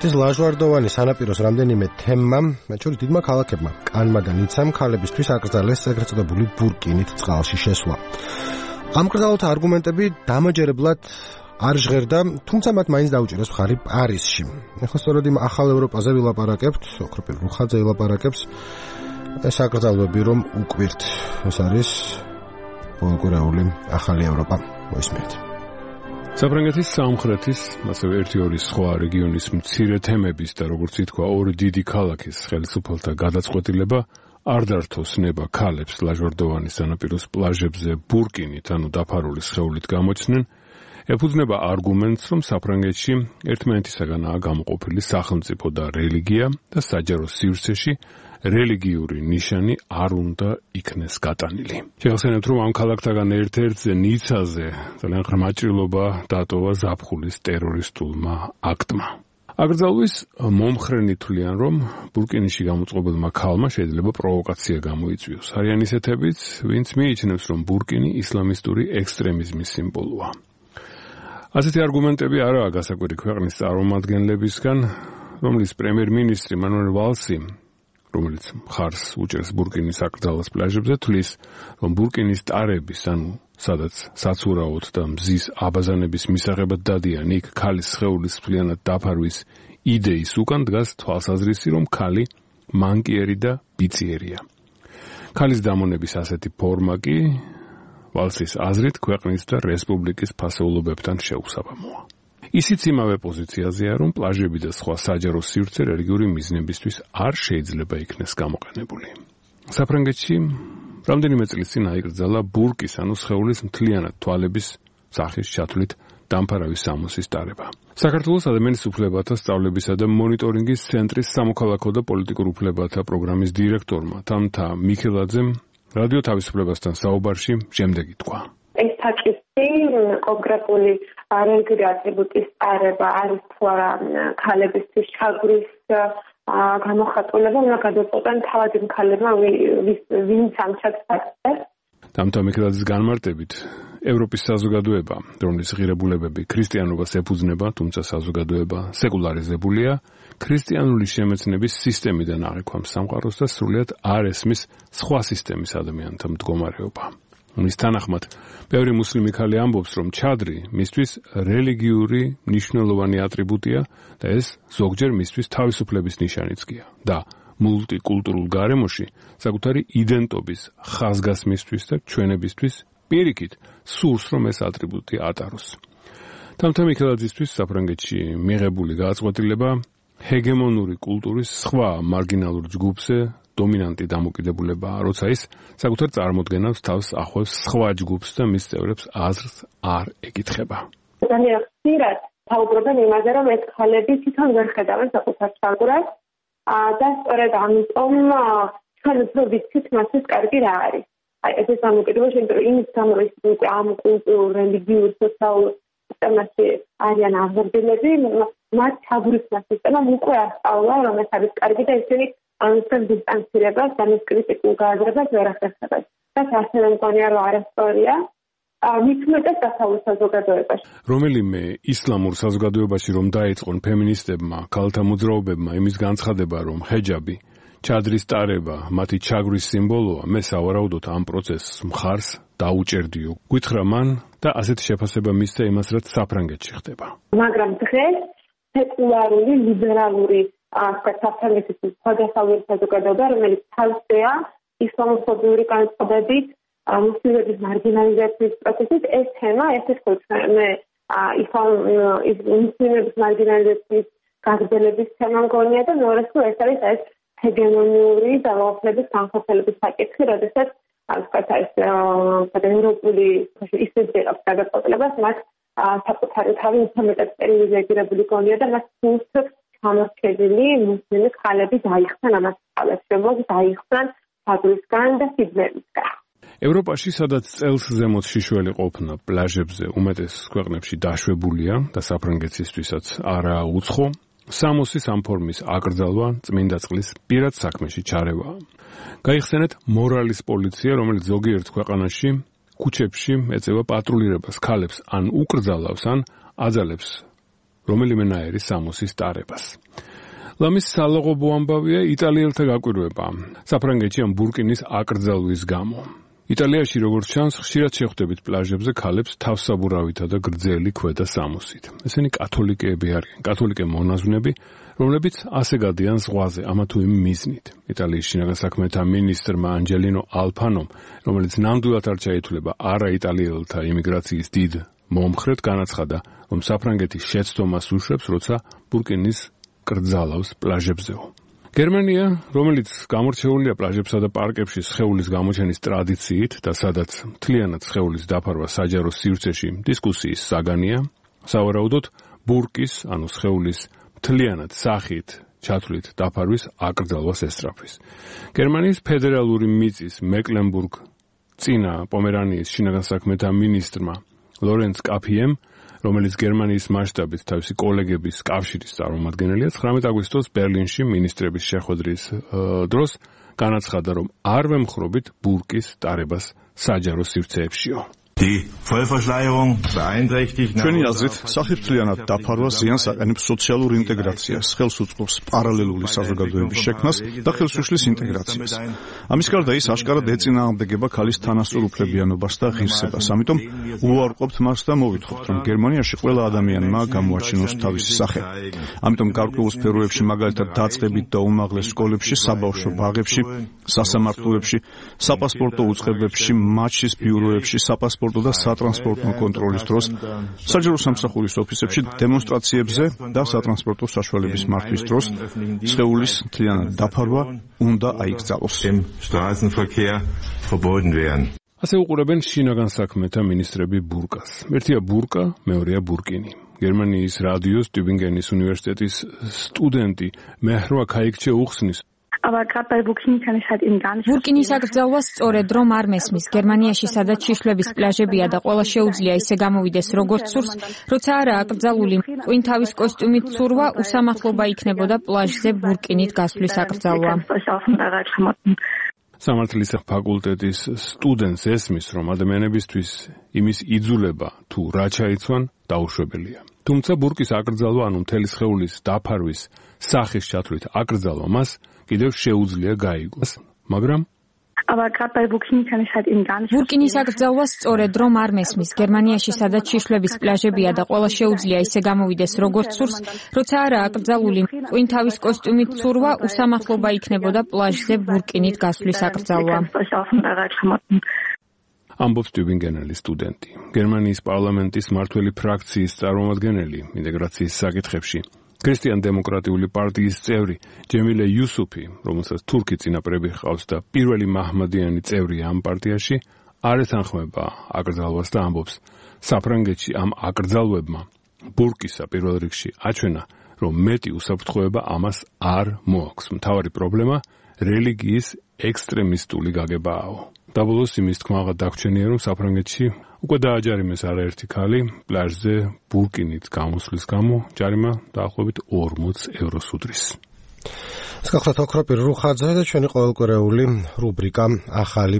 საფრანგეთის ლაჟვარდოვანი სანაპიროს რამდენიმე თემმა, მათ შორის დიდმა ქალაქებმა, კანმა და ნიცამ ქალებისთვის აკრძალეს ეგრეთ წოდებული ბურკინით წყალში შესვლა. ამ კრძალულთა არგუმენტები დამაჯერებლად არ ჟღერდა, თუმცა მათ მაინც დაუჭირეს მხარი პარიზში. ახლა სწორედ იმ ახალ ევროპაზე ვილაპარაკებთ, ოქროპირ რუხაძე ვილაპარაკებს. ეს აკრძალვები რომ უკვირთ, ეს არის პოლიტიკური ახალი ევროპა. მოისმენთ. საფრანგეთის სამხრეთის, ასევე ერთი-ორი სხვა რეგიონის მცირე თემების და როგორც ითქვა, ორი დიდი ქალაქის ხელისუფალთა გადაწყვეტილება არ დართოს ნება ქალებს ლაჟვარდოვანის სანაპიროს პლაჟებზე ბურკინით, ანუ დაფარული სხეულით გამოჩნდნენ, ეფუძნება არგუმენტს, რომ საფრანგეთში ერთმანეთისაგანაა გამოყოფილი სახელმწიფო და რელიგია და საჯარო სივრცეში რელიგიური ნიშანი არ უნდა იქნეს გატანილი. შეგახსენებთ, რომ ამ ქალაქთაგან ერთ-ერთზე ნიცაზე ძალიან ღრმა ჭრილობა დატოვა ზაფხულის ტერორისტულმა აქტმა. აკრძალვის მომხრენი თვლიან, რომ ბურკინიში გამოწყობილმა ქალმა შეიძლება პროვოკაცია გამოიწვიოს. არიან ისეთებიც, ვინც მიიჩნევს, რომ ბურკინი ისლამისტური ექსტრემიზმის სიმბოლოა. ასეთი არგუმენტები არაა გასაკვირი ქვეყნის წარმომადგენლებისგან, რომლის პრემიერ-მინისტრი მანუელ ვალსი, რომელიც მხარს უჭერს ბურკინის აკრძალვას პლაჟებზე, თვლის, რომ ბურკინის ტარების, ანუ სადაც საცურაოდ და მზის აბაზანების მისაღებად დადიან იქ ქალის სხეულის მთლიანად დაფარვის იდეის უკან დგას თვალსაზრისი, რომ ქალი მანკიერი და ბიციერია. ქალის დამონების ასეთი ფორმა კი ვალსის აზრით ქვეყნის და რესპუბლიკის ფასეულობებთან შეუსაბამოა. ისიც იმავე პოზიციაზეა, რომ პლაჟები და სხვა საჯარო სივრცე რელიგიური მიზნებისთვის არ შეიძლება იქნეს გამოყენებული. საფრანგეთში რამდენიმე წლის წინ აიკრძალა ბურკის, ანუ სხეულის მთლიანად თვალების სახის ჩათვლით დამფარავი სამოსის ტარება. საქართველოს ადამიანის უფლებათა სწავლებისა და მონიტორინგის ცენტრის სამოქალაქო და პოლიტიკურ უფლებათა პროგრამის დირექტორმა თამთა მიქელაძემ რადიო თავისუფლებასთან საუბარში შემდეგი თქვა. ეს საკითხი კონკრეტული რელიგიური ატრიბუტის ტარება არის თუ არა ქალებისთვის ჩაგვრის გამოხატულება, უნდა გადაწყვეტენ თავად იმ ქალებმა, ვინც ამ ჩაგვარს. თამთა მიქელაძის განმარტებით, ევროპის საზოგადოება, რომლის ღირებულებები ქრისტიანობას ეფუძნება, თუმცა საზოგადოება სეკულარიზებულია, ქრისტიანული შემეცნების სისტემიდან აღიქვამს სამყაროს და სრულიად არ ესმის სხვა სისტემის ადამიანთა მდგომარეობა. მის თანახმად, ბევრი მუსლიმი ქალი ამბობს, რომ ჩადრი მისთვის რელიგიური მნიშვნელოვანი ატრიბუტია და ეს ზოგჯერ მისთვის თავისუფლების ნიშანიც გია და მულტიკულტურულ გარემოში საკუთარი იდენტობის ხაზგასმისთვის და ჩვენებისთვის პირიქით სურს, რომ ეს ატრიბუტი ატაროს. თამთა მიქელაძისთვის საფრანგეთში მიღებული გადაწყვეტილება ჰეგემონური კულტურის სხვა მარგინალურ ჯგუფზე დომინანტი დამოკიდებულებაა, როცა ის საკუთარ წარმოდგენას თავს ახავს სხვა ჯგუფს და მის წევრებს აზრს არ ეკითხება. ძალიან ხშირად საუბრობენ იმაზე, რომ ეს ქალები თვითონ ვერ ხედავენ საკუთარ ჩაგვარს და სწორედ ამიტომ ჩვენ უფრო ვიცით მასის კარგი რა არის. ეს დამოკიდებულება იმიტომ რომ იმის გამო ის ამ კულტურულ რელიგიურ სოციალურ სისტემაში არიან აღზრდილები, მათ ჩაგვრის სისტემა უკვე ასწავლა, რომ ეს არის კარგი და ისინი ამისგან დისტანცირებას და მის კრიტიკულ გააზრებას ვერ ახერხებენ. და ასევე მგონია, რომ არასწორია მით უმეტეს დასავლურ საზოგადოებაში. რომელიმე ისლამურ საზოგადოებაში რომ დაიწყონ ფემინისტებმა, ქალთა მოძრაობებმა იმის განცხადება, რომ ჰეჯაბი, ჩადრის ტარება, მათი ჩაგვრის სიმბოლოა, მე სავარაუდოდ ამ პროცესს მხარს დაუჭერდიო. გითხრა მან და ასეთი შეფასება მისცა იმას, რაც საფრანგეთში ხდება. მაგრამ დღეს სეკულარული, ლიბერალური საფრანგეთის სხვადასხვა საზოგადოება, რომელიც თავზეა ისლამოფობიური განწყობებით, მუსლიმების მარგინალიზაციის პროცესით, ეს თემა, ეს მე მუსლიმების მარგინალიზაციის გაგრძელების თემა მგონია და მეორესულ ეს არის ეს ჰეგემონიური ძალაუფლების განხორციელების საკითხი, როდესაც ევროპული ისტორიების გადაწყვეტილებას მათ საკუთარი თავი უფრო მეტად სტერილიზებული გონია და მას სულს გამორჩენილი მუსლიმი ქალები დაიხსნან ამას ძალებს, დაიხსნან ფაგლისგან და სიბნელისგან. ევროპაში, სადაც წელს ზემოთ შიშველი ყოფნა პლაჟებზე უმეტეს ქვეყნებში დაშვებულია და საფრანგეთისთვისაც არაა უცხო, სამოსის ამ ფორმის აკრძალვა წმინდა წყლის პირად საქმეში ჩარევაა. გაიხსენეთ მორალის პოლიცია, რომელიც ზოგიერთ ქვეყანაში ქუჩებში ეწევა პატრულირებას, ქალებს ან უკრძალავს, ან აძალებს რომელიმენაერი სამოსის ტარებას. ლამის სალაღობო ამბავია იტალიელთა გაკვირვება საფრანგეთში ამ ბურკინის აკრძალვის გამო. იტალიაში, როგორც ჩანს, ხშირად შეხვდებით პლაჟებზე ქალებს თავსაბურავითა და გრძელი ქვედა სამოსით. ესენი კათოლიკეები არიან, კათოლიკე მონაზვნები, რომლებიც ასე გადიან ზღვაზე ამა თუ იმ მიზნით. იტალიის შინაგან საქმეთა მინისტრმა ანჯელინო ალფანომ, რომელიც ნამდვილად არ ჩაითვლება არაიტალიელთა იმიგრაციის დიდ მომხრედ, განაცხადა, რომ საფრანგეთი შეცდომას უშვებს, როცა ბურკინის კრძალავს პლაჟებზეო. გერმანია, რომელიც გამორჩეულია პლაჟებსა და პარკებში სხეულის გამოჩენის ტრადიციით და სადაც მთლიანად სხეულის დაფარვა საჯარო სივრცეში დისკუსიის საგანია, სავარაუდოდ ბურკის, ანუ სხეულის მთლიანად სახით ჩათვლით დაფარვის აკრძალვას ესწრაფვის. გერმანიის ფედერალური მიწის მეკლენბურგ-წინა პომერანიის შინაგან საქმეთა მინისტრმა ლორენც კაფიემ, რომელიც გერმანიის მასშტაბით თავისი კოლეგების კავშირის წარმომადგენელია, 19 აგვისტოს ბერლინში მინისტრების შეხვედრის დროს განაცხადა, რომ არ ვემხრობით ბურკის ტარებას საჯარო სივრცეებშიო. ჩვენი აზრით, სახიფრთლიანად დაფარვა ზიანს აყენებს სოციალურ ინტეგრაციას, ხელს უწყობს პარალელური საზოგადოების შექმნას და ხელშუშლის ინტეგრაციას. ამის გარდა ის აშკარად ეწინააღმდეგება ქალის თანასწორ უფლებიანობას და ღირსებას. ამიტომ უარყოფთ მას და მოვითხოვთ, რომ გერმანიაში ყველა ადამიანმა გამოაჩინოს თავისი სახე. ამიტომ გარკვეულ სფეროებში, მაგალითად დაწყებით და უმაღლეს სკოლებში, საბავშვო ბაღებში, სასამართლოებში, საპასპორტო უწყებებში, მაჩის ბიუროებში, საპასპორტო და სატრანსპორტო კონტროლის დროს, საჯარო სამსახურის ოფისებში, დემონსტრაციებზე და სატრანსპორტო საშუალების მართვის დროს სხეულის მთლიანად დაფარვა უნდა აიკრძალოს. ასე უყურებენ შინაგან საქმეთა მინისტრები ბურკას. ერთია ბურკა, მეორეა ბურკინი. გერმანიის რადიოს ტübingenis უნივერსიტეტის სტუდენტი მეჰრვა ქაიქჩე უხსნის, ბურკინის აკრძალვას სწორედ რომ არ მესმის. გერმანიაში სადაც შიშვლების პლაჟებია და ყველა შეუძლია ისე გამოვიდეს როგორც სურს, როცა არა აკრძალული ყვინთავის კოსტიუმით ცურვა, უსამართლობა იქნებოდა პლაჟზე ბურკინით გასვლის აკრძალვა. სამართლის ფაკულტეტის სტუდენტს ესმის, რომ ადამიანებისთვის იმის იძულება თუ რა ჩაიცვან დაუშვებელია. თუმცა ბურკის აკრძალვა, ანუ მთელი სხეულის დაფარვის სახის ჩათვლით აკრძალვა მას კიდევ შეუძლია გაიგოს, მაგრამ ბურკინის აკრძალვას სწორედ რომ არ მესმის. გერმანიაში სადაც შიშვლების პლაჟებია და ყველა შეუძლია ისე გამოვიდეს როგორც სურს, როცა არა აკრძალული ყვინთავის კოსტიუმით ცურვა, უსამართლობა იქნებოდა პლაჟზე ბურკინით გასვლის აკრძალვა. ამბობს ტübingenელი სტუდენტი. გერმანიის პარლამენტის მმართველი ფრაქციის წარმომადგენელი ინტეგრაციის საკითხებში ქრისტიან-დემოკრატიული პარტიის წევრი ჯემილე იუსუფი, რომელსაც თურქი წინაპრები ჰყავს და პირველი მაჰმადიანი წევრია ამ პარტიაში, არ ეთანხმება აკრძალვას და ამბობს, საფრანგეთში ამ აკრძალვებმა ბურკისა პირველ რიგში აჩვენა, რომ მეტი უსაფრთხოება ამას არ მოაქვს. მთავარი პრობლემა რელიგიის ექსტრემისტული გაგებააო. დაბოლოს იმის თქმაღა დაგვრჩენია, რომ საფრანგეთში უკვე დააჯარიმეს არაერთი ქალი პლაჟზე ბურკინით გამოსვლის გამო, ჯარიმა დაახლოებით 40 ევროს უდრის. ეს გახლავთ ოქროპირ რუხაძე და ჩვენი ყოველკვირეული რუბრიკა ახალი